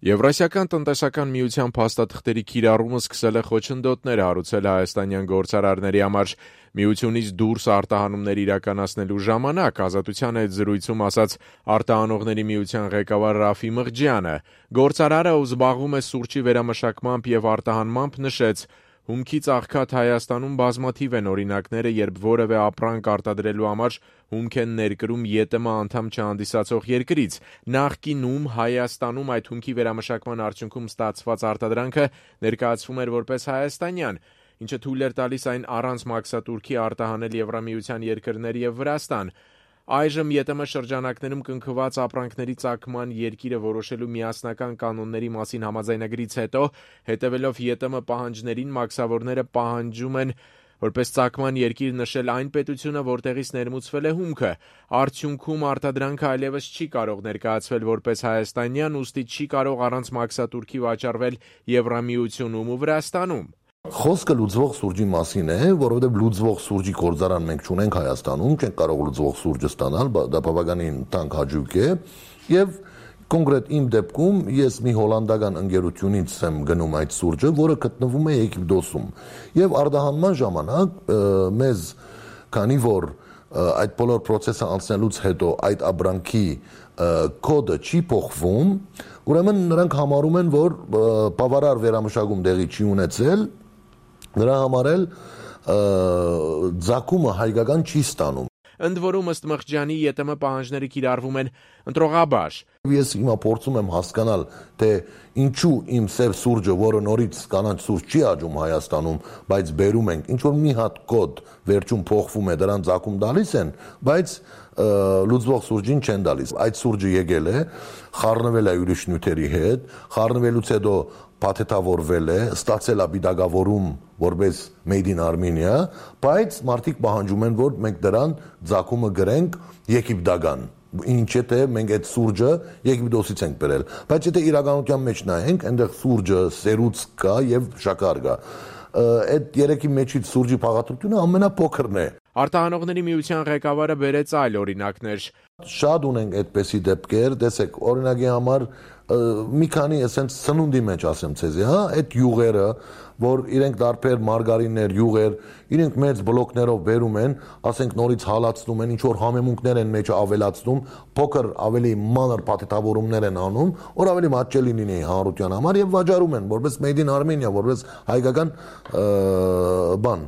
Եվրասիական տնտեսական միության փաստաթղթերի կիրառումը սկսել է խոչընդոտներ հարուցել հայաստանյան գործարարների համար։ Միությունից դուրս արտահանումներ իրականացնելու ժամանակ Ազատության հետ զրույցում ասաց արտահանողների միության ղեկավար Ռաֆի Մղջյանը։ Գործարարը, ով զբաղվում է սուրճի վերամշակմամբ եւ արտահանմամբ, նշեց. Հումքից աղքատ Հայաստանում բազմաթիվ են օրինակները, երբ որևէ ապրանք արտադրելու համար հումք են ներկրում ԵՏՄ անդամ չհանդիսացող երկրից։ Նախկինում Հայաստանում այդ հումքի վերամշակման արդյունքում ստացված արտադրանքը ներկայացվում էր որպես հայաստանյան, ինչը թույլ էր տալիս այն առանց մաքսատուրքի արտահանել Եվրամիության երկրներ եւ Վրաստան։ Այժմ ԵՏՄ շրջանակներում կնքված ապրանքների ծագման երկիրը որոշելու միասնական կանոնների մասին համաձայնագրից հետո, հետևելով ԵՏՄ պահանջներին, մաքսավորները պահանջում են որպես ծագման երկիր նշել այն պետությունը, որտեղից ներմուծվել է հումքը։ Արդյունքում արտադրանքը այլևս չի կարող ներկայացվել որպես հայաստանյան, ուստի չի կարող առանց մաքսատուրքի վաճառվել Եվրամիությունում ու Վրաստանում։ Խոսքը լուծվող սուրճի մասին է, որովհետև լուծվող սուրճի գործարան մենք չունենք Հայաստանում, չենք կարող լուծվող սուրճը ստանալ, դա բավականին տանկ հաճույք է, եւ կոնկրետ իմ դեպքում ես մի հոլանդական ընկերությունից եմ գնում այդ սուրճը, որը գտնվում է Եգիպտոսում, եւ արտահանման ժամանակ մեզ, քանի որ այդ բոլոր process-ը անցնելուց հետո այդ ապրանքի կոդը չի փոխվում, ուրեմն նրանք համարում են, որ բավարար վերամշակում տեղի չի ունեցել, նրա համար էլ ձակումը հայկական չի ստանում։ Ընդ որում, ըստ Մղջյանի, ԵՏՄ պահանջները կիրառվում են ընտրողաբար։ Ես հիմա փորձում եմ հասկանալ, թե ինչու իմ սև սուրճը, որը նորից կանաչ սուրճ չի աճում Հայաստանում, բայց բերում ենք, ինչ որ մի հատ կոդ վերջում փոխվում է, դրան ձակում տալիս են, բայց լուծվող սուրճին չեն տալիս։ Այդ սուրճը եկել է, խառնվել է ուրիշ նյութերի հետ, խառնվելուց հետո փաթեթավորվել է, ստացել է պիտակավորում որպես Made in Armenia, բայց մարդիկ պահանջում են, որ մենք դրան ձակումը գրենք եգիպտական։ Ինչ է թե մենք այդ սուրճը Եգիպտոսից ենք բերել, բայց եթե իրականության մեջ նայենք, այնտեղ սուրճը, սերուց կա եւ շաքար կա։ Այդ երեքի մեջից սուրճի փաղադրությունը ամենափոքրն է։ Արտահանողների միության ղեկավարը բերեց այլ օրինակներ։ Շատ ունենք այդպիսի դեպքեր, տեսեք, օրինակի համար մի քանի էսենց սնունդի մեջ ասեմ ցեզի, հա, այդ յուղերը, որ իրենք դարբեր մարգարիններ, յուղեր, իրենք մեծ բլոկներով բերում են, ասենք նորից հալածնում են, ինչ որ համեմունքներ են մեջը ավելացնում, փոքր ավելի մանր փաթեթավորումներ են անում, որ ավելի մատչելի լինի հանրության համար եւ վաճառում են որպես Made in Armenia, որպես հայկական բան։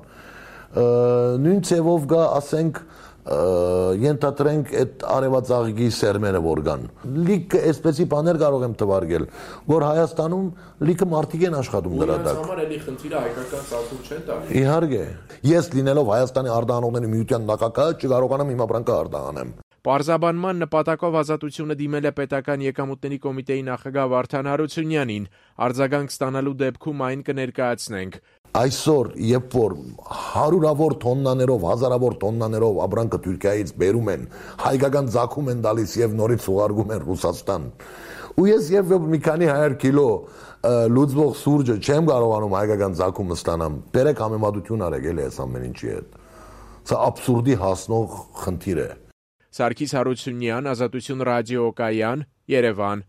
Նույն ցևով գա, ասենք ենթադրենք այդ արևածաղիկի սերմերը որ կան։ Լիքը այսպեսի բաներ կարող եմ թվարկել, որ Հայաստանում լիքը մարդիկ են աշխատում դրա տակ։ Համար էլի խնդիրը հայկական ծագում չեն տալի։ Իհարկե, ես լինելով Հայաստանի արտահանողների միության նախագահ չկարողանամ իմ ապրանքը արտահանեմ։ Պարզաբանման նպատակով Ազատությունը դիմել է Պետական եկամուտների կոմիտեի նախագահ Վարդան Հարությունյանին։ Արձագանք ստանալու դեպքում այն կներկայացնենք։ Այսօր, երբ որ հարյուրավոր տոննաներով, հազարավոր տոննաներով ապրանքը Թուրքիայից բերում են, հայկական ձակում են տալիս եւ նորից ուղարկում են Ռուսաստան։ Ու ես երբ մի քանի 100 կիլո լուծվող սուրճը չեմ կարողանում հայկական ձակումը ստանամ, բերեք համեմատություն արեք էլի այս ամեն ինչի հետ։ Սա աբսուրդի հասնող խնդիր է։ Սարգիս Հարությունյան, Ազատություն ռադիոկայան, Երևան։